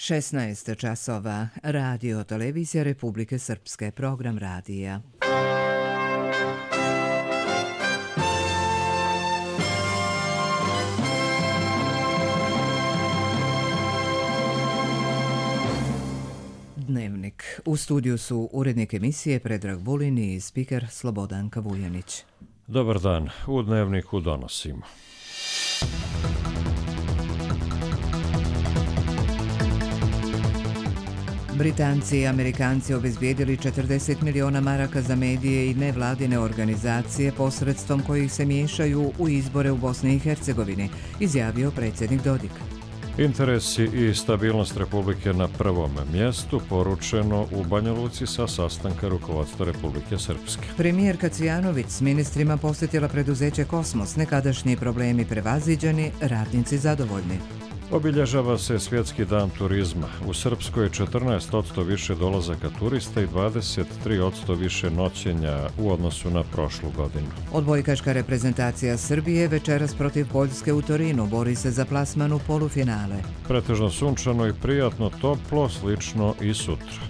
16 časova. Radio Televizija Republike Srpske. Program radija. Dnevnik. U studiju su urednik emisije Predrag Vulin i spiker Slobodanka Vujanić. Dobar dan. U Dnevniku donosimo. Britanci i Amerikanci obezbijedili 40 miliona maraka za medije i nevladine organizacije posredstvom kojih se miješaju u izbore u Bosni i Hercegovini, izjavio predsjednik Dodik. Interesi i stabilnost Republike na prvom mjestu, poručeno u Banja Luci sa sastanka rukovodstva Republike Srpske. Premijerka Cvijanović s ministrima posjetila preduzeće Kosmos, nekadašnji problemi prevaziđeni, radnici zadovoljni. Obilježava se Svjetski dan turizma. U Srpskoj je 14% više dolazaka turista i 23% više noćenja u odnosu na prošlu godinu. Odbojkaška reprezentacija Srbije večeras protiv Poljske u Torinu bori se za plasman u polufinale. Pretežno sunčano i prijatno, toplo, slično i sutra.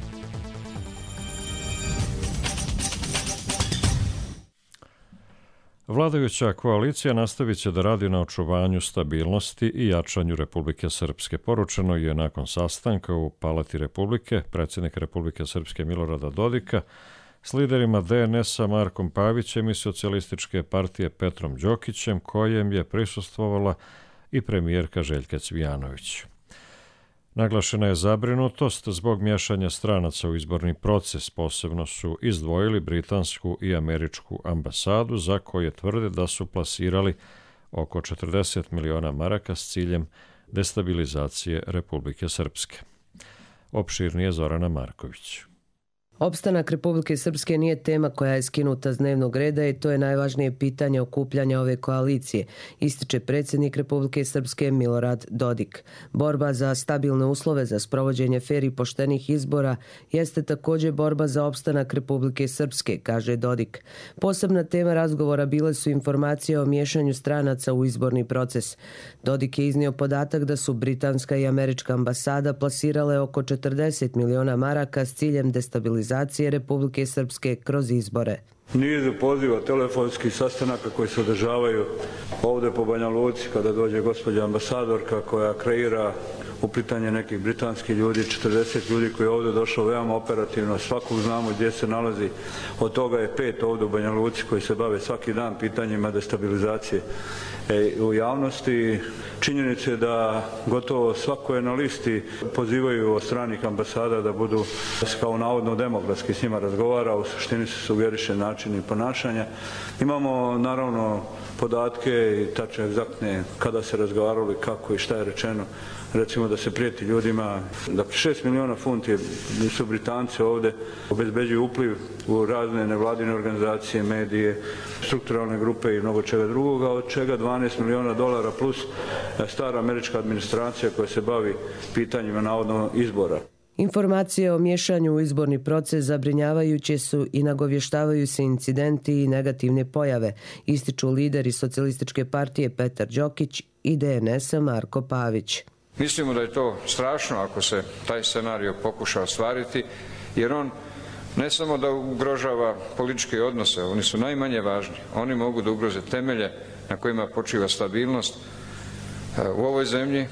Vladajuća koalicija nastavit će da radi na očuvanju stabilnosti i jačanju Republike Srpske. Poručeno je nakon sastanka u Palati Republike predsjednika Republike Srpske Milorada Dodika s liderima DNS-a Markom Pavićem i Socijalističke partije Petrom Đokićem, kojem je prisustvovala i premijerka Željka Cvijanović. Naglašena je zabrinutost zbog miješanja stranaca u izborni proces. Posebno su izdvojili britansku i američku ambasadu, za koje tvrde da su plasirali oko 40 miliona maraka s ciljem destabilizacije Republike Srpske. Opširnije Zorana Marković. Opstanak Republike Srpske nije tema koja je skinuta s dnevnog reda i to je najvažnije pitanje okupljanja ove koalicije, ističe predsjednik Republike Srpske Milorad Dodik. Borba za stabilne uslove za sprovođenje fer i poštenih izbora jeste također borba za opstanak Republike Srpske, kaže Dodik. Posebna tema razgovora bile su informacije o miješanju stranaca u izborni proces. Dodik je iznio podatak da su britanska i američka ambasada plasirale oko 40 miliona maraka s ciljem destabilizacije Republike Srpske kroz izbore. Niz poziva telefonskih sastanaka koji se održavaju ovdje po Banja Luci kada dođe gospođa ambasadorka koja kreira uplitanje nekih britanskih ljudi, 40 ljudi koji je ovdje došlo veoma operativno, svakog znamo gdje se nalazi, od toga je 5 ovdje u Banja Luci koji se bave svaki dan pitanjima destabilizacije u javnosti. Činjenica je da gotovo svako je na listi pozivaju od stranih ambasada da budu kao navodno demokratski s njima razgovara, u suštini se sugeriše načini ponašanja. Imamo naravno podatke i tačne egzaktne kada se razgovarali, kako i šta je rečeno. Recimo da se prijeti ljudima, da 6 miliona funti su Britanci ovdje, obezbeđuju upliv u razne nevladine organizacije, medije, strukturalne grupe i mnogo čega drugoga, od čega 12 miliona dolara plus stara američka administracija koja se bavi pitanjima navodno izbora. Informacije o miješanju u izborni proces zabrinjavajuće su i nagovještavaju se incidenti i negativne pojave, ističu lideri Socijalističke partije Petar Đokić i DNS-a Marko Pavić. Mislimo da je to strašno ako se taj scenario pokuša ostvariti, jer on ne samo da ugrožava političke odnose, oni su najmanje važni, oni mogu da ugroze temelje na kojima počiva stabilnost u ovoj zemlji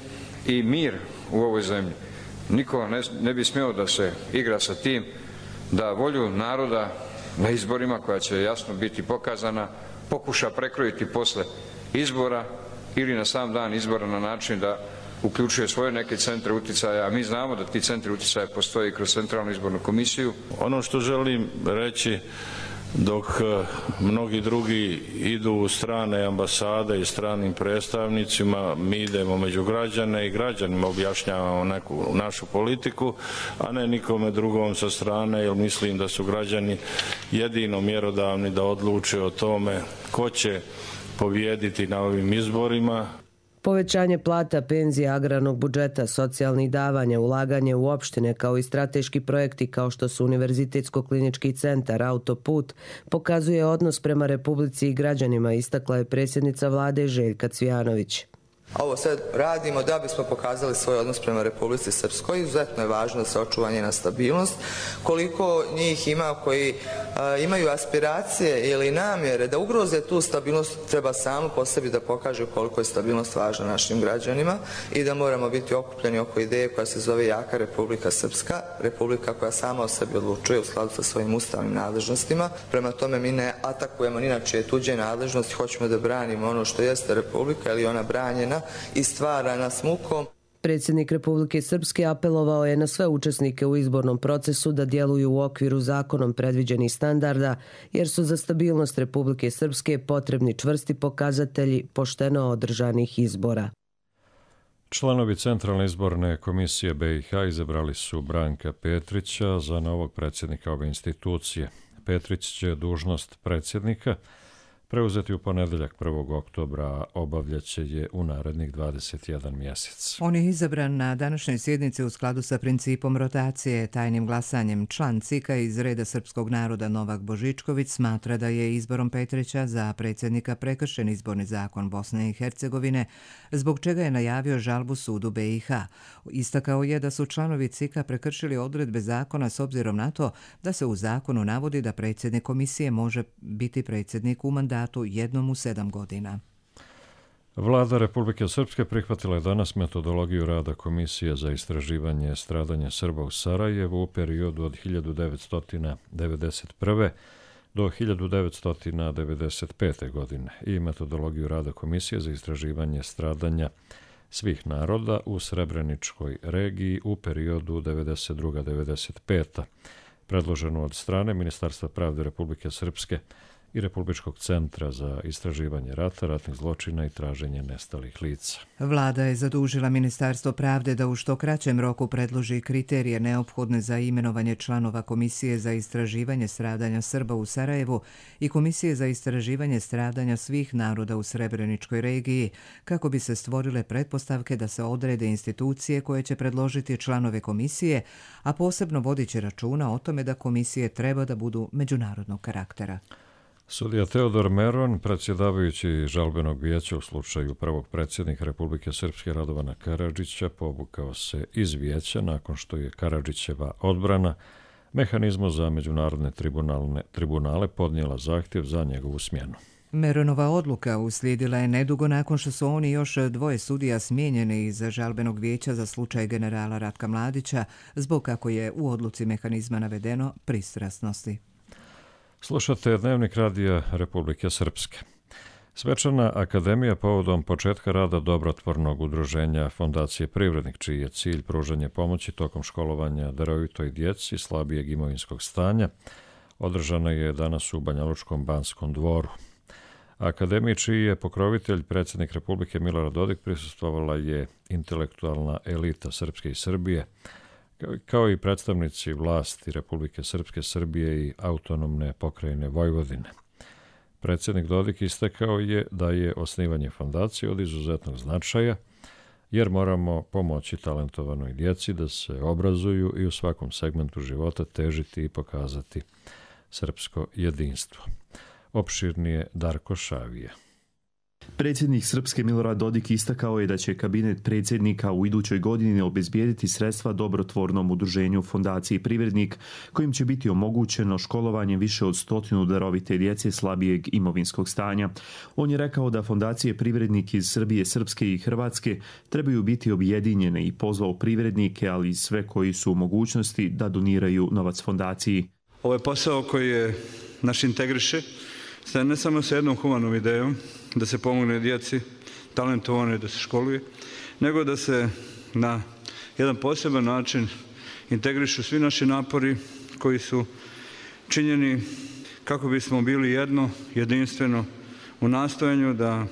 i mir u ovoj zemlji. Niko ne bi smio da se igra sa tim da volju naroda na izborima, koja će jasno biti pokazana, pokuša prekrojiti posle izbora ili na sam dan izbora na način da uključuje svoje neke centre uticaja, a mi znamo da ti centri uticaja postoje kroz Centralnu izbornu komisiju. Ono što želim reći, dok mnogi drugi idu u strane ambasade i stranim predstavnicima, mi idemo među građane i građanima objašnjavamo neku našu politiku, a ne nikome drugom sa strane, jer mislim da su građani jedino mjerodavni da odluče o tome ko će pobijediti na ovim izborima. Povećanje plata, penzija, agrarnog budžeta, socijalnih davanja, ulaganje u opštine kao i strateški projekti kao što su Univerzitetsko-klinički centar, autoput, pokazuje odnos prema Republici i građanima, istakla je predsjednica vlade Željka Cvijanović. Ovo sve radimo da bismo pokazali svoj odnos prema Republici Srpskoj. Izuzetno je važno da se očuva njena stabilnost. Koliko njih ima koji imaju aspiracije ili namjere da ugroze tu stabilnost, treba samo po sebi da pokaže koliko je stabilnost važna našim građanima i da moramo biti okupljeni oko ideje koja se zove jaka Republika Srpska, republika koja sama o sebi odlučuje u skladu sa svojim ustavnim nadležnostima. Prema tome mi ne atakujemo ni na čije tuđe nadležnosti, hoćemo da branimo ono što jeste republika ili ona branjena i stvarana s mukom. Predsjednik Republike Srpske apelovao je na sve učesnike u izbornom procesu da djeluju u okviru zakonom predviđenih standarda, jer su za stabilnost Republike Srpske potrebni čvrsti pokazatelji pošteno održanih izbora. Članovi Centralne izborne komisije BiH izabrali su Branka Petrića za novog predsjednika ove institucije. Petrić će dužnost predsjednika preuzeti u ponedeljak 1. oktobra, a obavljaće je u narednih 21 mjesec. On je izabran na današnjoj sjednici u skladu sa principom rotacije. Tajnim glasanjem član CIK-a iz reda srpskog naroda Novak Božičković smatra da je izborom Petrića za predsjednika prekršen izborni zakon Bosne i Hercegovine, zbog čega je najavio žalbu sudu BiH. Istakao je da su članovi CIK-a prekršili odredbe zakona s obzirom na to da se u zakonu navodi da predsjednik komisije može biti predsjednik u mandatu jednom u 7 godina. Vlada Republike Srpske prihvatila je danas metodologiju rada Komisije za istraživanje stradanja Srba u Sarajevu u periodu od 1991. do 1995. godine i metodologiju rada Komisije za istraživanje stradanja svih naroda u Srebreničkoj regiji u periodu 1992-1995. predloženu od strane Ministarstva pravde Republike Srpske i Republičkog centra za istraživanje rata, ratnih zločina i traženje nestalih lica. Vlada je zadužila Ministarstvo pravde da u što kraćem roku predloži kriterije neophodne za imenovanje članova Komisije za istraživanje stradanja Srba u Sarajevu i Komisije za istraživanje stradanja svih naroda u Srebreničkoj regiji, kako bi se stvorile pretpostavke da se odrede institucije koje će predložiti članove komisije, a posebno vodiće računa o tome da komisije treba da budu međunarodnog karaktera. Sudija Teodor Meron, predsjedavajući žalbenog vijeća u slučaju prvog predsjednika Republike Srpske Radovana Karadžića, povukao se iz vijeća nakon što je Karadžićeva odbrana mehanizmu za međunarodne tribunale podnijela zahtjev za njegovu smjenu. Meronova odluka uslijedila je nedugo nakon što su oni još dvoje sudija smijenjeni iz žalbenog vijeća za slučaj generala Ratka Mladića zbog, kako je u odluci mehanizma navedeno, pristrasnosti. Slušate Dnevnik radija Republike Srpske. Svečana akademija povodom početka rada dobrotvornog udruženja Fondacije Privrednik, čiji je cilj pružanje pomoći tokom školovanja darovitoj djeci slabijeg imovinskog stanja, održana je danas u Banjalučkom Banskom dvoru. Akademiji, čiji je pokrovitelj predsjednik Republike Milorad Dodik, prisustvovala je intelektualna elita Srpske i Srbije, kao i predstavnici vlasti Republike Srpske, Srbije i autonomne pokrajine Vojvodine. Predsjednik Dodik istakao je da je osnivanje fondacije od izuzetnog značaja, jer moramo pomoći talentovanoj djeci da se obrazuju i u svakom segmentu života težiti i pokazati srpsko jedinstvo. Opširnije Darko Šavije. Predsjednik Srpske Milorad Dodik istakao je da će kabinet predsjednika u idućoj godini obezbijediti sredstva dobrotvornom udruženju Fondaciji Privrednik, kojim će biti omogućeno školovanje više od 100 darovite djece slabijeg imovinskog stanja. On je rekao da Fondacije Privrednik iz Srbije, Srpske i Hrvatske trebaju biti objedinjene i pozvao privrednike, ali i sve koji su u mogućnosti da doniraju novac fondaciji. Ovo je posao koji naš integriše, ne samo sa jednom humanom idejom, da se pomogne djeci, talentovane da se školuje, nego da se na jedan poseban način integrišu svi naši napori koji su činjeni kako bismo bili jedno, jedinstveno u nastojanju da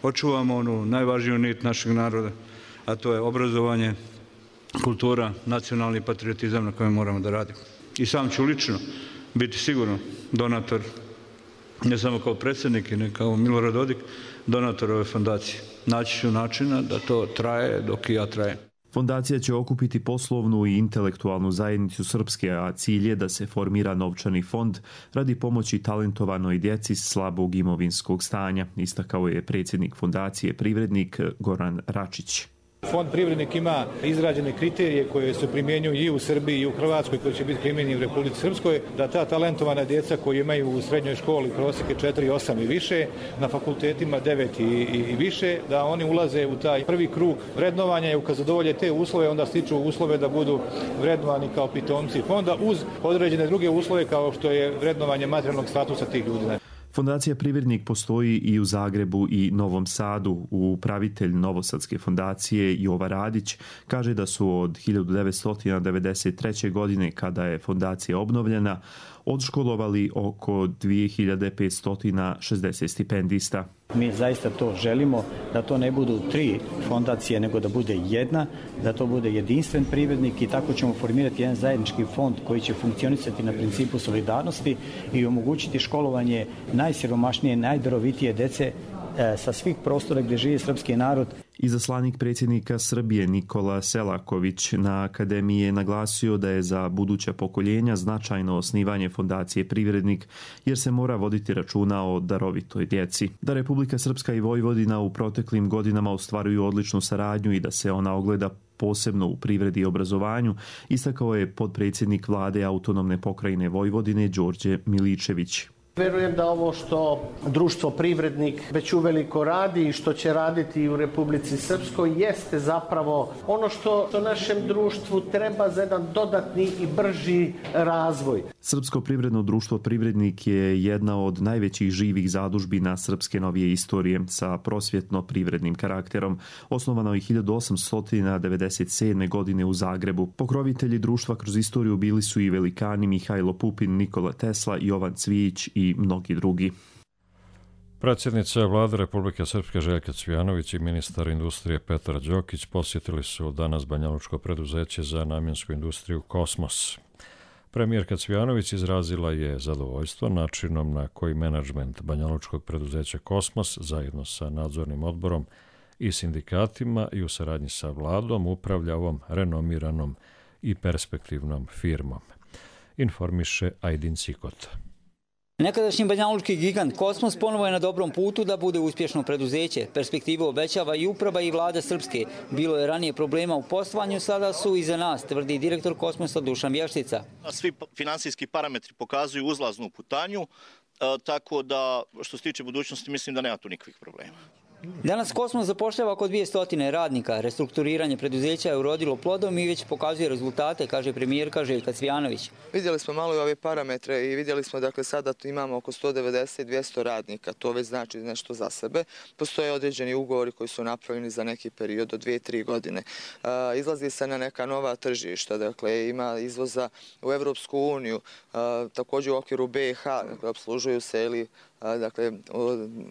očuvamo onu najvažniju nit našeg naroda, a to je obrazovanje, kultura, nacionalni patriotizam na kojem moramo da radimo. I sam ću lično biti sigurno donator, ne samo kao predsjednik i ne kao Milorad Dodik, donator ove fondacije. Naći ću načina da to traje dok i ja trajem. Fondacija će okupiti poslovnu i intelektualnu zajednicu Srpske, a cilj je da se formira novčani fond radi pomoći talentovanoj djeci slabog imovinskog stanja, istakao je predsjednik Fondacije Privrednik Goran Račić. Fond Privrednik ima izrađene kriterije koje se primjenjuju i u Srbiji i u Hrvatskoj, koji će biti primjenjeni u Republici Srpskoj, da ta talentovana djeca koji imaju u srednjoj školi prosjeke 4,8 i više, na fakultetima 9 i više, da oni ulaze u taj prvi krug vrednovanja i kad zadovolje te uslove, onda stiču uslove da budu vrednovani kao pitomci fonda uz određene druge uslove kao što je vrednovanje materijalnog statusa tih ljudi. Fondacija Privrednik postoji i u Zagrebu i Novom Sadu. Upravitelj Novosadske fondacije Jova Radić kaže da su od 1993. godine, kada je fondacija obnovljena, odškolovali oko 2560 stipendista. Mi zaista to želimo, da to ne budu 3 fondacije, nego da bude jedna, da to bude jedinstven privrednik i tako ćemo formirati jedan zajednički fond koji će funkcionisati na principu solidarnosti i omogućiti školovanje najsiromašnije, najdarovitije djece sa svih prostora gdje živi srpski narod. Izaslanik predsjednika Srbije Nikola Selaković na akademiji je naglasio da je za buduća pokoljenja značajno osnivanje Fondacije Privrednik, jer se mora voditi računa o darovitoj djeci. Da Republika Srpska i Vojvodina u proteklim godinama ostvaruju odličnu saradnju i da se ona ogleda posebno u privredi i obrazovanju, istakao je potpredsjednik vlade Autonomne pokrajine Vojvodine Đorđe Miličević. Verujem da ovo što društvo Privrednik već uveliko radi i što će raditi u Republici Srpskoj jeste zapravo ono što našem društvu treba za jedan dodatni i brži razvoj. Srpsko privredno društvo Privrednik je jedna od najvećih živih zadužbina srpske novije istorije sa prosvjetno-privrednim karakterom. Osnovano je 1897. godine u Zagrebu. Pokrovitelji društva kroz istoriju bili su i velikani Mihajlo Pupin, Nikola Tesla, Jovan Cvijić i mnogi drugi. Predsjednica Vlade Republike Srpske Željka Cvijanović i ministar industrije Petar Đokić posjetili su danas banjalučko preduzeće za namjensku industriju Kosmos. Premijerka Cvijanović izrazila je zadovoljstvo načinom na koji menadžment banjalučkog preduzeća Kosmos zajedno sa nadzornim odborom i sindikatima i u saradnji sa vladom upravlja ovom renomiranom i perspektivnom firmom. Informiše Ajdin Cikota. Nekadašnji banjalučki gigant Kosmos ponovo je na dobrom putu da bude uspješno preduzeće. Perspektivu obećava i uprava i vlada Srpske. Bilo je ranije problema u poslovanju, sada su iza nas, tvrdi direktor Kosmosa Dušan Vještica. Svi finansijski parametri pokazuju uzlaznu putanju, tako da što se tiče budućnosti mislim da nema tu nikakvih problema. Danas Kosmos zapošljava oko 200 radnika. Restrukturiranje preduzeća je urodilo plodom i već pokazuje rezultate, kaže premijerka Željka Cvijanović. Vidjeli smo malo i ove parametre i vidjeli smo dakle sada imamo oko 190-200 radnika. To već znači nešto za sebe. Postoje određeni ugovori koji su napravljeni za neki period od 2-3 godine. Izlazi se na neka nova tržišta, dakle ima izvoza u Evropsku uniju, također u okviru BiH, dakle obslužuju se ili dakle,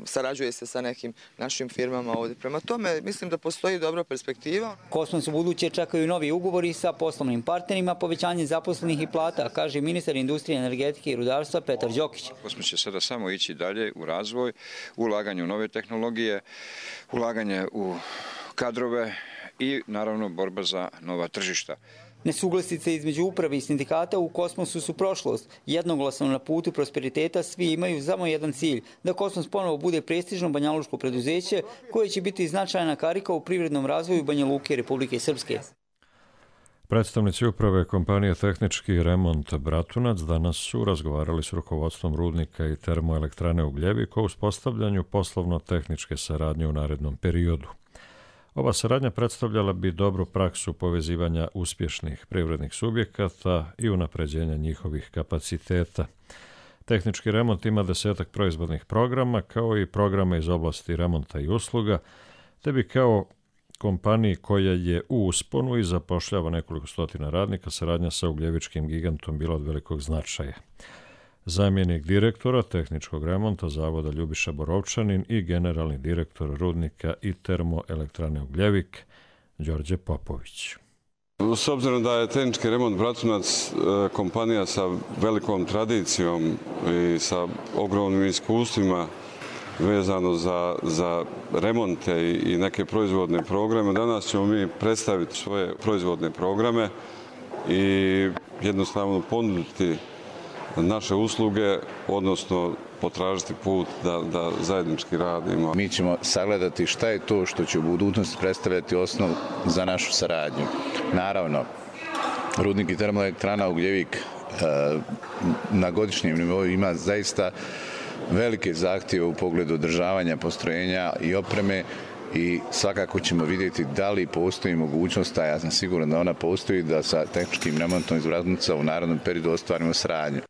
sarađuje se sa nekim našim firmama ovdje. Prema tome, mislim da postoji dobra perspektiva. Kosmos u buduće čekaju novi ugovori sa poslovnim partnerima, povećanje zaposlenih i plata, kaže ministar industrije, energetike i rudarstva Petar Đokić. Kosmos će sada samo ići dalje u razvoj, ulaganje u nove tehnologije, ulaganje u kadrove i naravno borba za nova tržišta. Nesuglasice između uprave i sindikata u Kosmosu su prošlost. Jednoglasno na putu prosperiteta svi imaju samo jedan cilj, da Kosmos ponovo bude prestižno banjalučko preduzeće koje će biti značajna karika u privrednom razvoju Banja Luke Republike Srpske. Predstavnici uprave kompanije Tehnički remont Bratunac danas su razgovarali s rukovodstvom rudnika i termoelektrane Ugljevik o uspostavljanju poslovno-tehničke saradnje u narednom periodu. Ova saradnja predstavljala bi dobru praksu povezivanja uspješnih privrednih subjekata i unapređenja njihovih kapaciteta. Tehnički remont ima 10 proizvodnih programa, kao i programa iz oblasti remonta i usluga, te bi kao kompaniji koja je u usponu i zapošljava nekoliko stotina radnika, saradnja sa ugljevičkim gigantom bila od velikog značaja. Zamjenik direktora tehničkog remonta zavoda Ljubiša Borovčanin i generalni direktor rudnika i termoelektrane Ugljevik Đorđe Popović. S obzirom da je Tehnički remont Bratunac kompanija sa velikom tradicijom i sa ogromnim iskustvima vezano za remonte i neke proizvodne programe. Danas ćemo mi predstaviti svoje proizvodne programe i jednostavno ponuditi naše usluge, odnosno potražiti put da zajednički radimo. Mi ćemo sagledati šta je to što će u budućnosti predstavljati osnov za našu saradnju. Naravno, rudnik i termoelektrana Ugljevik na godišnjem nivou ima zaista velike zahtjeve u pogledu održavanja postrojenja i opreme i svakako ćemo vidjeti da li postoji mogućnost, a ja sam siguran da ona postoji, da sa tehničkim remontom iz Vraznica u narednom periodu ostvarimo saradnju.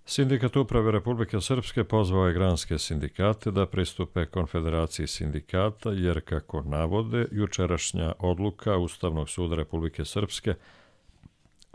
Sindikat uprave Republike Srpske pozvao je granske sindikate da pristupe konfederaciji sindikata, jer kako navode, jučerašnja odluka Ustavnog suda Republike Srpske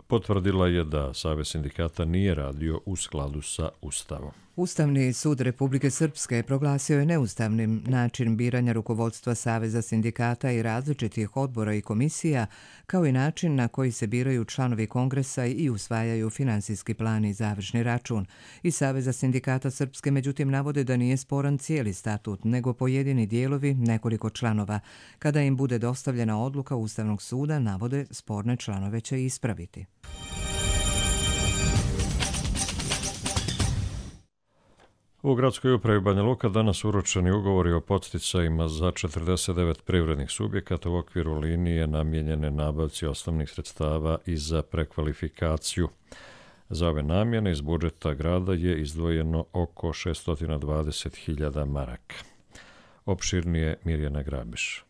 potvrdila je da Savez sindikata nije radio u skladu sa Ustavom. Ustavni sud Republike Srpske proglasio je neustavnim način biranja rukovodstva Saveza sindikata i različitih odbora i komisija, kao i način na koji se biraju članovi kongresa i usvajaju finansijski plan i završni račun. I Saveza sindikata Srpske međutim navode da nije sporan cijeli statut, nego pojedini dijelovi, nekoliko članova. Kada im bude dostavljena odluka Ustavnog suda, navode, sporne članove će ispraviti. U gradskoj upravi Banja Luka danas uručeni ugovori o podsticajima za 49 privrednih subjekata u okviru linije namijenjene nabavci osnovnih sredstava i za prekvalifikaciju. Za ove namjene iz budžeta grada je izdvojeno oko 620.000 maraka. Opširnije Mirjana Grabiš.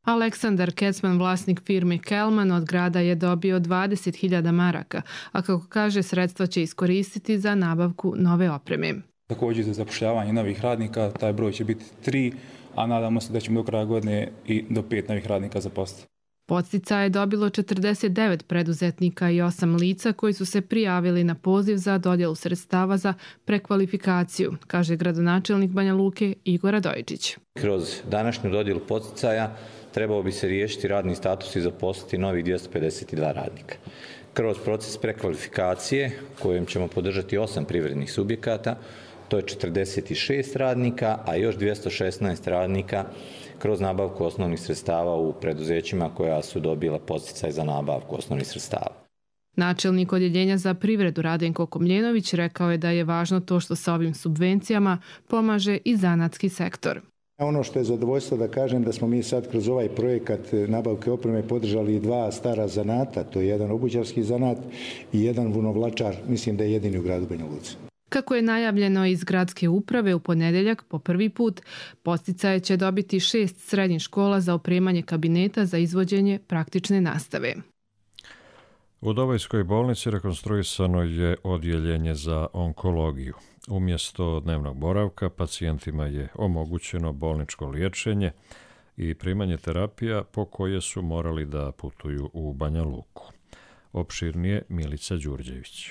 Aleksandar Kecman, vlasnik firme Kelman, od grada je dobio 20.000 maraka, a kako kaže, sredstva će iskoristiti za nabavku nove opreme. Također za zapošljavanje novih radnika, taj broj će biti 3, a nadamo se da ćemo do kraja godine i do 5 novih radnika zaposliti. Podsticaje je dobilo 49 preduzetnika i 8 lica koji su se prijavili na poziv za dodjelu sredstava za prekvalifikaciju, kaže gradonačelnik Banja Luke Igor Radojičić. Kroz današnju dodjelu podsticaja trebao bi se riješiti radni status i zaposliti novih 252 radnika. Kroz proces prekvalifikacije, kojem ćemo podržati 8 privrednih subjekata, to je 46 radnika, a još 216 radnika kroz nabavku osnovnih sredstava u preduzećima koja su dobila podsticaj za nabavku osnovnih sredstava. Načelnik odjeljenja za privredu Radenko Komljenović rekao je da je važno to što sa ovim subvencijama pomaže i zanatski sektor. Ono što je zadovoljstvo da kažem da smo mi sad kroz ovaj projekat nabavke opreme podržali 2 stara zanata, to je jedan obućarski zanat i jedan vunovlačar, mislim da je jedini u gradu Banja Luci. Kako je najavljeno iz gradske uprave, u ponedjeljak po prvi put podsticaje će dobiti 6 srednjih škola za opremanje kabineta za izvođenje praktične nastave. U Dobojskoj bolnici rekonstruisano je odjeljenje za onkologiju. Umjesto dnevnog boravka pacijentima je omogućeno bolničko liječenje i primanje terapija po koje su morali da putuju u Banja Luku. Opširnije Milica Đurđević.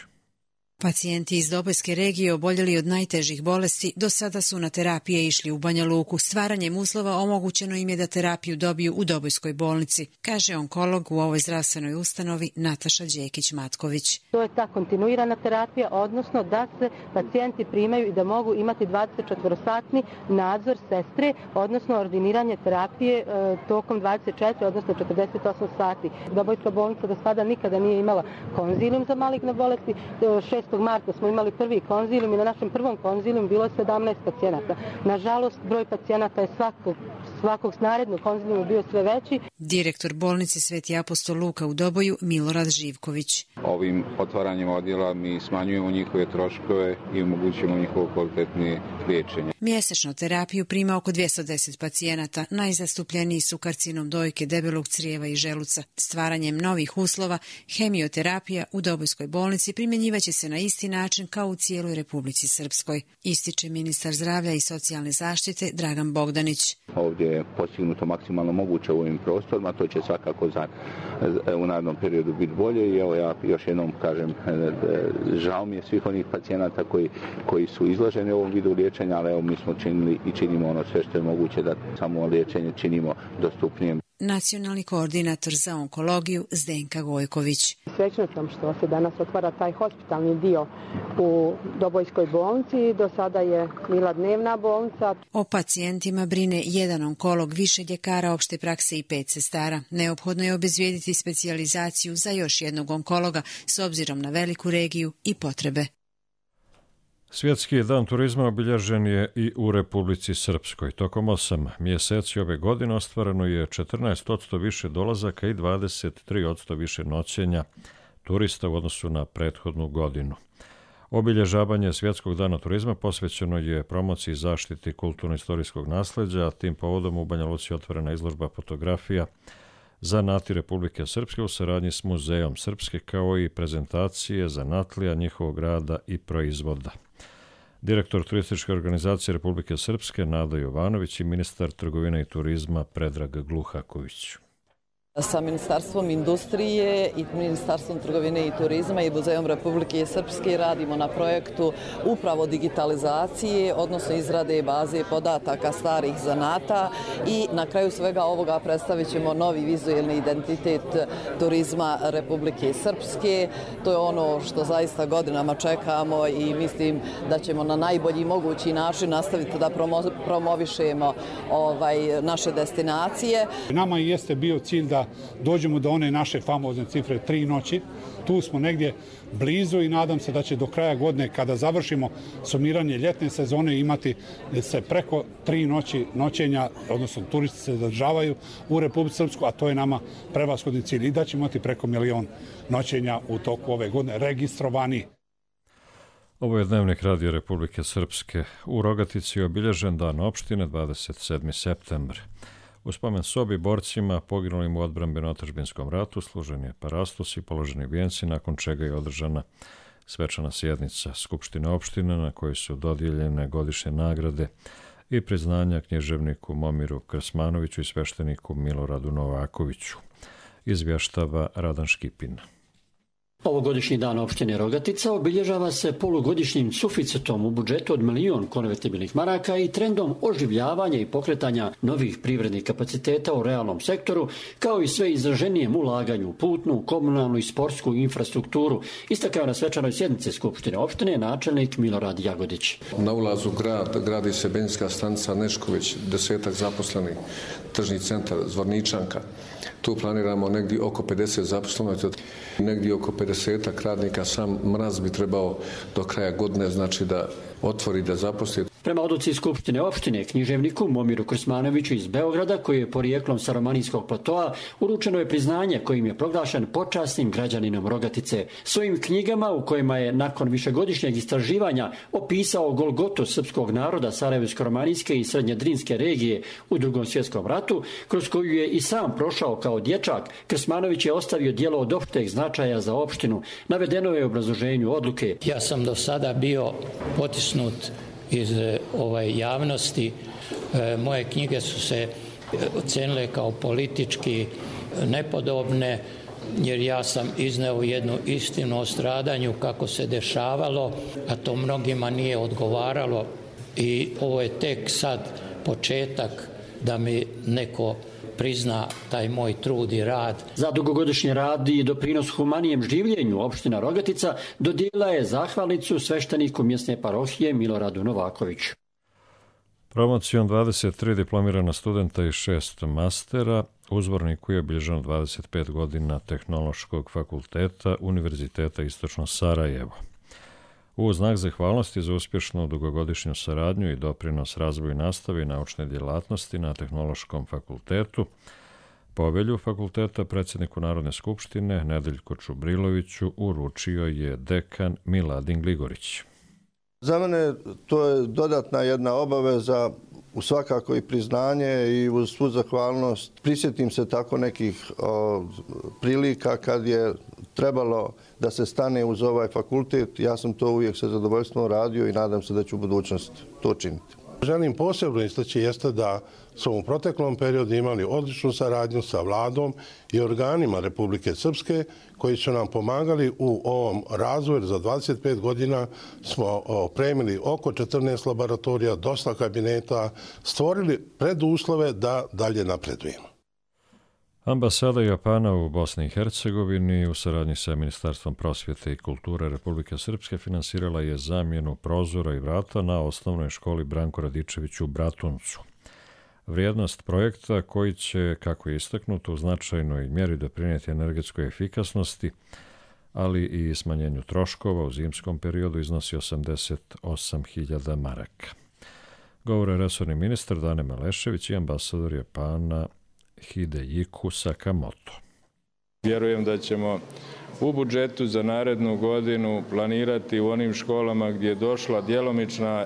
Pacijenti iz Dobojske regije oboljeli od najtežih bolesti do sada su na terapije išli u Banja Luku. Stvaranjem uslova omogućeno im je da terapiju dobiju u Dobojskoj bolnici, kaže onkolog u ovoj zdravstvenoj ustanovi Nataša Đekić-Matković. To je ta kontinuirana terapija, odnosno da se pacijenti primaju i da mogu imati 24-satni nadzor sestre, odnosno ordiniranje terapije tokom 24, odnosno 48 sati. Dobojska bolnica do sada nikada nije imala konzilijum za maligne bolesti. 6. marta smo imali prvi konzilijum i na našem prvom konzilijum bilo je 17 pacijenata. Nažalost, broj pacijenata je svakog narednog konzilijuma bio sve veći. Direktor bolnice Sveti apostol Luka u Doboju Milorad Živković. Ovim otvaranjem odjela mi smanjujemo njihove troškove i omogućujemo njihovo kvalitetnije liječenje. Mjesečno terapiju prima oko 210 pacijenata. Najzastupljeniji su karcinom dojke, debelog crijeva i želuca. Stvaranjem novih uslova, hemioterapija u Dobojskoj bolnici primjenjivaće se na isti način kao u cijeloj Republici Srpskoj, ističe ministar zdravlja i socijalne zaštite Dragan Bogdanić. Ovdje je postignuto maksimalno moguće u ovim prostorima, to će svakako u narednom periodu biti bolje i evo ja još jednom kažem, žao mi je svih onih pacijenata koji su izloženi ovom vidu liječenja, ali evo mi smo činili i činimo ono sve što je moguće da samo liječenje činimo dostupnijem. nacionalni koordinator za onkologiju Zdenka Gojković. Srećna sam što se danas otvara taj hospitalni dio u Dobojskoj bolnici. Do sada je bila dnevna bolnica. O pacijentima brine jedan onkolog, više ljekara opšte prakse i 5 sestara. Neophodno je obezvijediti specijalizaciju za još jednog onkologa s obzirom na veliku regiju i potrebe. Svjetski dan turizma obilježen je i u Republici Srpskoj. Tokom 8 mjeseci ove godine ostvareno je 14% više dolazaka i 23% više noćenja turista u odnosu na prethodnu godinu. Obilježavanje Svjetskog dana turizma posvećeno je promociji zaštiti kulturno-istorijskog nasleđa, a tim povodom u Banja Luci otvorena izložba fotografija zanati Republike Srpske u saradnji s Muzejom Srpske, kao i prezentacije zanatlija, njihovog rada i proizvoda. Direktor turističke organizacije Republike Srpske Nada Jovanović i ministar trgovine i turizma Predrag Gluhaković. Sa Ministarstvom industrije i Ministarstvom trgovine i turizma i Muzejom Republike Srpske radimo na projektu upravo digitalizacije, odnosno izrade baze podataka starih zanata i na kraju svega ovoga predstavit ćemo novi vizuelni identitet turizma Republike Srpske. To je ono što zaista godinama čekamo i mislim da ćemo na najbolji mogući način nastaviti da promovišemo naše destinacije. Nama jeste bio cilj da dođemo do one naše famozne cifre 3 noći. Tu smo negdje blizu i nadam se da će do kraja godine, kada završimo sumiranje ljetne sezone, imati se preko 3 noći noćenja, odnosno turisti se zadržavaju u Republici Srpskoj, a to je nama prevashodni cilj i da ćemo imati preko 1 milion noćenja u toku ove godine registrovani. Ovo je Dnevnik Radio Republike Srpske. U Rogatici je obilježen dan opštine 27. septembar. U spomen sobi borcima poginulim u odbrambeno-otadžbinskom ratu služen je parastos i položeni vijenci, nakon čega je održana svečana sjednica Skupštine opštine na kojoj su dodijeljene godišnje nagrade i priznanja knježevniku Momiru Krsmanoviću i svešteniku Miloradu Novakoviću. Izvještava Radan Škipin. Ovogodišnji dan opštine Rogatica obilježava se polugodišnjim suficitom u budžetu od 1 milion konvertibilnih maraka i trendom oživljavanja i pokretanja novih privrednih kapaciteta u realnom sektoru, kao i sve izraženijem ulaganju u putnu, komunalnu i sportsku infrastrukturu, istakao na svečanoj sjednici Skupštine opštine načelnik Milorad Jagodić. Na ulazu gradi se benzinska stanica Nešković, 10 zaposlenih, tržni centar Zvorničanka. Tu planiramo negdje oko 50 zaposlenih, negdje oko 50 radnika. Sam Mraz bi trebao do kraja godine, znači da otvori, da zaposli. Prema odluci Skupštine opštine, književniku Momiru Krsmanoviću iz Beograda, koji je porijeklom sa romanijskog platoa, uručeno je priznanje kojim je proglašen počasnim građaninom Rogatice. Svojim knjigama, u kojima je nakon višegodišnjeg istraživanja opisao golgotu srpskog naroda Sarajevsko-romanijske i srednjedrinske regije u Drugom svjetskom ratu, kroz koju je i sam prošao kao dječak, Krsmanović je ostavio djelo od opšteg značaja za opštinu. Navedeno je u obrazloženju odluke. Ja sam do sada bio potisnut iz javnosti. Moje knjige su se ocenile kao politički nepodobne, jer ja sam izneo jednu istinu o stradanju kako se dešavalo, a to mnogima nije odgovaralo i ovo je tek sad početak da mi neko prizna taj moj trud i rad. Za dugogodišnji rad i doprinos humanijem življenju opština Rogatica dodijelila je zahvalnicu svešteniku mjesne parohije Miloradu Novakoviću. Promocijom 23 diplomirana studenta i 6 mastera, uzvorniku je obilježeno 25 godina Tehnološkog fakulteta Univerziteta Istočno Sarajevo. U znak zahvalnosti za uspješnu dugogodišnju saradnju i doprinos razvoju nastave i naučne djelatnosti na Tehnološkom fakultetu, povelju fakulteta predsjedniku Narodne skupštine Nedeljku Čubriloviću uručio je dekan Miladin Gligorić. Za mene to je dodatna jedna obaveza, u svakako i priznanje i uz svu zahvalnost. Prisjetim se tako nekih prilika kad je trebalo da se stane uz ovaj fakultet. Ja sam to uvijek sa zadovoljstvom radio i nadam se da ću u budućnosti to činiti. Želim posebno istaći jeste da smo u proteklom periodu imali odličnu saradnju sa vladom i organima Republike Srpske koji su nam pomagali u ovom razvoju. Za 25 godina smo opremili oko 14 laboratorija, dosta kabineta, stvorili preduslove da dalje napredujemo. Ambasada Japana u Bosni i Hercegovini u saradnji sa Ministarstvom prosvjete i kulture Republike Srpske finansirala je zamjenu prozora i vrata na osnovnoj školi Branko Radičević u Bratuncu. Vrijednost projekta, koji će, kako je istaknuto, u značajnoj mjeri doprinijeti energetskoj efikasnosti, ali i smanjenju troškova u zimskom periodu, iznosi 88.000 maraka. Govore resorni ministar Dane Malešević i ambasador Japana Hideyuki Sakamoto. Vjerujem da ćemo u budžetu za narednu godinu planirati u onim školama gdje je došla djelomična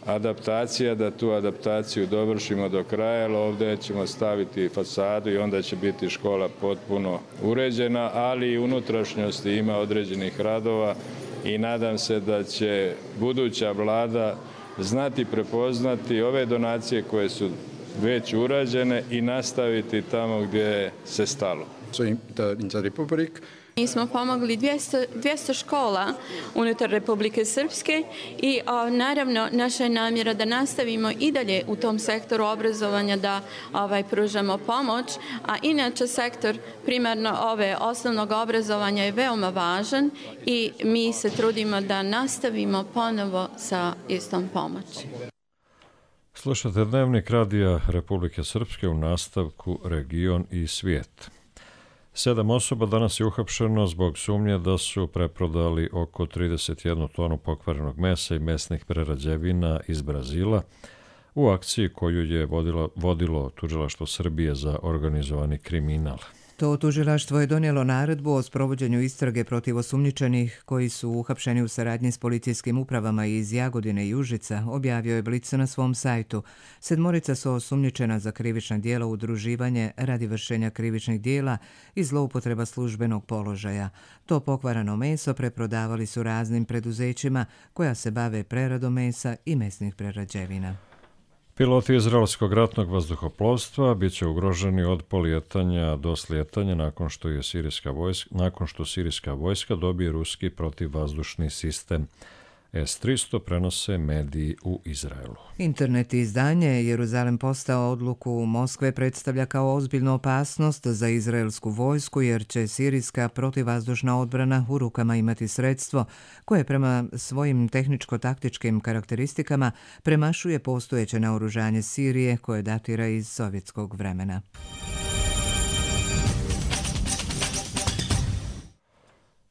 adaptacija, da tu adaptaciju dovršimo do kraja, jer ovdje ćemo staviti fasadu i onda će biti škola potpuno uređena, ali i unutrašnjosti ima određenih radova i nadam se da će buduća vlada znati prepoznati ove donacije koje su već urađene i nastaviti tamo gdje se stalo. Mi smo pomogli 200 škola unutar Republike Srpske i naravno naša je namjera da nastavimo i dalje u tom sektoru obrazovanja da pružamo pomoć, a inače sektor primarno osnovnog obrazovanja je veoma važan i mi se trudimo da nastavimo ponovo sa istom pomoći. Slušate Dnevnik radija Republike Srpske, u nastavku Region i svijet. 7 osoba danas je uhapšeno zbog sumnje da su preprodali oko 31 tonu pokvarenog mesa i mesnih prerađevina iz Brazila u akciji koju je vodilo Tužilaštvo Srbije za organizovani kriminal. To tužilaštvo je donijelo naredbu o sprovođenju istrage protiv osumnjičenih koji su uhapšeni u saradnji s policijskim upravama iz Jagodine i Užica, objavio je Blic na svom sajtu. 7 su osumnjičena za krivična djela udruživanje radi vršenja krivičnih djela i zloupotreba službenog položaja. To pokvarano meso preprodavali su raznim preduzećima koja se bave preradom mesa i mesnih prerađevina. Piloti izraelskog ratnog vazduhoplovstva bit će ugroženi od polijetanja do slijetanja nakon što sirijska vojska dobije ruski protivvazdušni sistem S-300, prenose mediji u Izraelu. Internet izdanje Jeruzalem postao odluku Moskve predstavlja kao ozbiljnu opasnost za izraelsku vojsku, jer će sirijska protivvazdušna odbrana u rukama imati sredstvo koje prema svojim tehničko-taktičkim karakteristikama premašuje postojeće naoružanje Sirije koje datira iz sovjetskog vremena.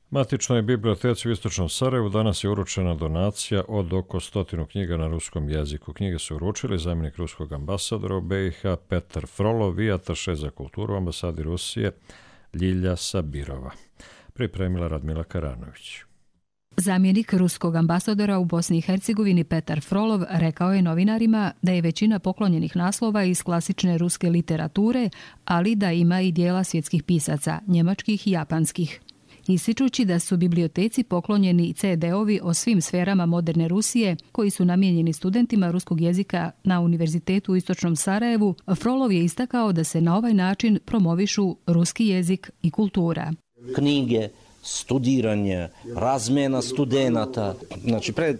Matičnoj biblioteci u Istočnom Sarajevu danas je uručena donacija od oko 100 knjiga na ruskom jeziku. Knjige su uručili zamjenik ruskog ambasadora u BiH Petar Frolov i ataše za kulturu u ambasadi Rusije Ljilja Sabirova. Pripremila Radmila Karanović. Zamjenik ruskog ambasadora u Bosni i Hercegovini Petar Frolov rekao je novinarima da je većina poklonjenih naslova iz klasične ruske literature, ali da ima i dijela svjetskih pisaca, njemačkih i japanskih. Ističući da su biblioteci poklonjeni CD-ovi o svim sferama moderne Rusije koji su namijenjeni studentima ruskog jezika na Univerzitetu u Istočnom Sarajevu, Frolov je istakao da se na ovaj način promovišu ruski jezik i kultura. Knjige, studiranje, razmjena studenata. Znači, pre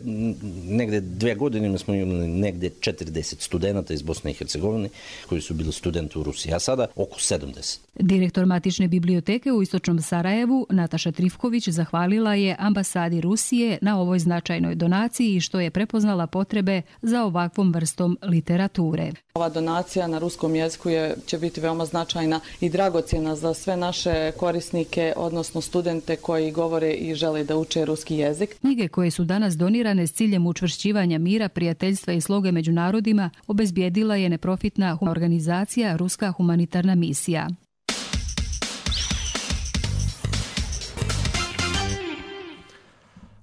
negde 2 godine smo imali negde 40 studenata iz Bosne i Hercegovine koji su bili studenti u Rusiji, a sada oko 70. Direktor Matične biblioteke u Istočnom Sarajevu, Nataša Trifković, zahvalila je ambasadi Rusije na ovoj značajnoj donaciji što je prepoznala potrebe za ovakvom vrstom literature. Ova donacija na ruskom jeziku će biti veoma značajna i dragocjena za sve naše korisnike, odnosno studente koji govore i žele da uče ruski jezik. Knjige koje su danas donirane s ciljem učvršćivanja mira, prijateljstva i sloge među narodima obezbijedila je neprofitna organizacija Ruska humanitarna misija.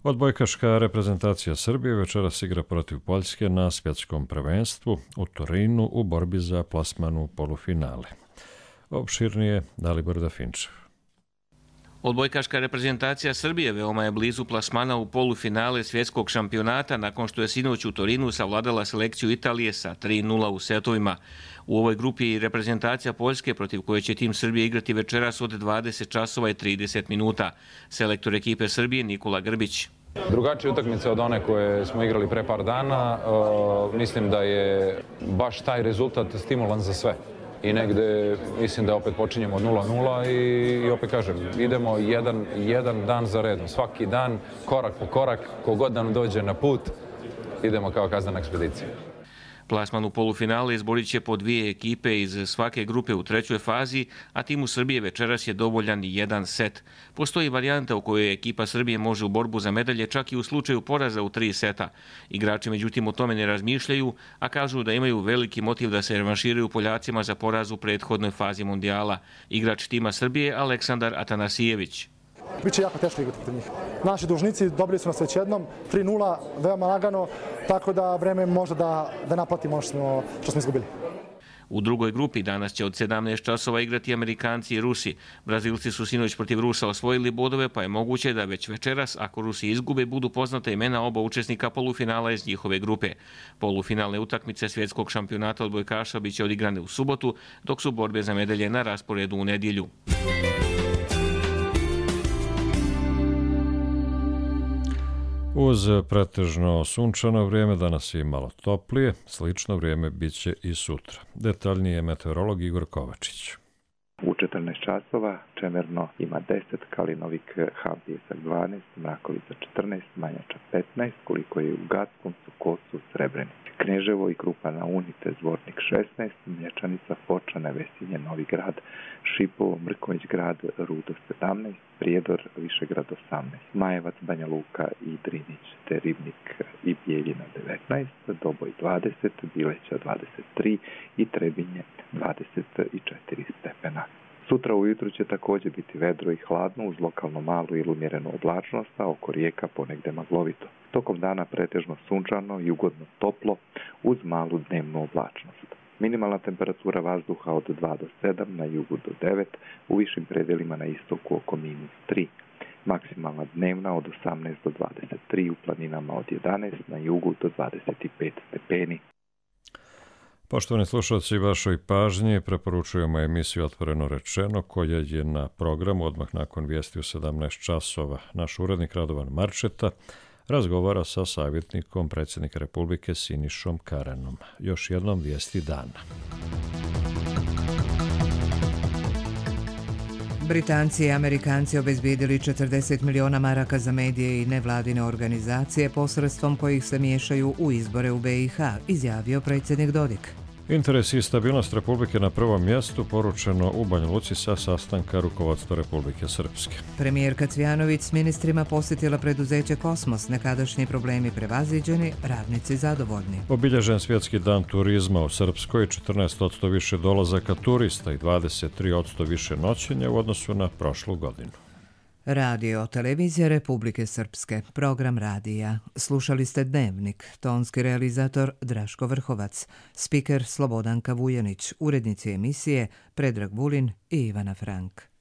Odbojkaška reprezentacija Srbije večeras igra protiv Poljske na svjetskom prvenstvu u Torinu u borbi za plasman u polufinale. Opširnije Dalibor Dafinčev. Odbojkaška reprezentacija Srbije veoma je blizu plasmana u polufinale svjetskog šampionata nakon što je sinoć u Torinu savladala selekciju Italije sa 3:0 u setovima. U ovoj grupi je i reprezentacija Poljske protiv koje će tim Srbije igrati večeras od 20 časova i 30 minuta. Selektor ekipe Srbije Nikola Grbić. Drugačija utakmica od one koje smo igrali pre par dana. Mislim da je baš taj rezultat stimulan za sve. i negde mislim da opet počinjemo od 0-0 i opet kažem, idemo jedan dan za redom. Svaki dan, korak po korak, kogod nam dođe na put, idemo kao kaznena ekspedicija. Plasman u polufinale izborit će po 2 ekipe iz svake grupe u trećoj fazi, a timu Srbije večeras je dovoljan jedan set. Postoji varijanta u kojoj ekipa Srbije može u borbu za medalje čak i u slučaju poraza u 3 seta. Igrači međutim o tome ne razmišljaju, a kažu da imaju veliki motiv da se revanširaju Poljacima za poraz u prethodnoj fazi mondijala. Igrač tima Srbije Aleksandar Atanasijević. Biće jako teško igrati protiv njih. Naši dužnici dobili su nas već jednom, 3-0, veoma lagano, tako da vreme može da naplatimo što smo izgubili. U drugoj grupi danas će od 17 časova igrati Amerikanci i Rusi. Brazilci su sinoć protiv Rusa osvojili bodove, pa je moguće da već večeras, ako Rusi izgube, budu poznata imena oba učesnika polufinala iz njihove grupe. Polufinalne utakmice svjetskog šampionata odbojkaša biće odigrane u subotu, dok su borbe za medalje na rasporedu u nedjelju. Uz pretežno sunčano vrijeme danas je malo toplije, slično vrijeme bit će i sutra. Detaljnije meteorolog Igor Kovačić. U 14 časova Čemerno ima 10, Kalinovik, Hampijesak 12, Mrakovica 14, Manjača 15, koliko je u Gaskoncu, Kosu, Srebrenici. Kneževo i Krupa na Unite, Zvornik 16, Mlječanica, Fočane, Vesinje, Novi Grad, Šipovo, Mrkonjić Grad, Rudo 17, Prijedor, Višegrad 18, Majevac, Banja Luka i Drinić, te Ribnik i Bijeljina 19, Doboj 20, Bileća 23 i Trebinje 24 stepena. Sutra ujutru će također biti vedro i hladno uz lokalno malu ili umjerenu oblačnost, a oko rijeka ponegde maglovito. Tokom dana pretežno sunčano i ugodno toplo uz malu dnevnu oblačnost. Minimalna temperatura vazduha od 2 do 7, na jugu do 9, u višim predjelima na istoku oko -3. Maksimalna dnevna od 18 do 23, u planinama od 11, na jugu do 25 stepeni. Poštovani slušalci, vašoj pažnji preporučujemo emisiju Otvoreno rečeno, koja je na programu odmah nakon vijesti u 17 časova. Naš urednik Radovan Marčeta razgovara sa savjetnikom predsjednika Republike Sinišom Karanom. Još jednom vijesti dana. Britanci i Amerikanci obezbijedili 40 miliona maraka za medije i nevladine organizacije posredstvom kojih se miješaju u izbore u BiH, izjavio predsjednik Dodik. Interes i stabilnost Republike na prvom mjestu, poručeno u Banja Luci sa sastanka rukovodstva Republike Srpske. Premijerka Cvjanović s ministrima posjetila preduzeće Kosmos, nekadašnji problemi prevaziđeni, radnici zadovoljni. Obilježen svjetski dan turizma u Srpskoj, 14% više dolazaka turista i 23% više noćenja u odnosu na prošlu godinu. Radio Televizija Republike Srpske, program radija. Slušali ste Dnevnik, tonski realizator Draško Vrhovac, spiker Slobodanka Vujanić, urednici emisije Predrag Vulin i Ivana Frank.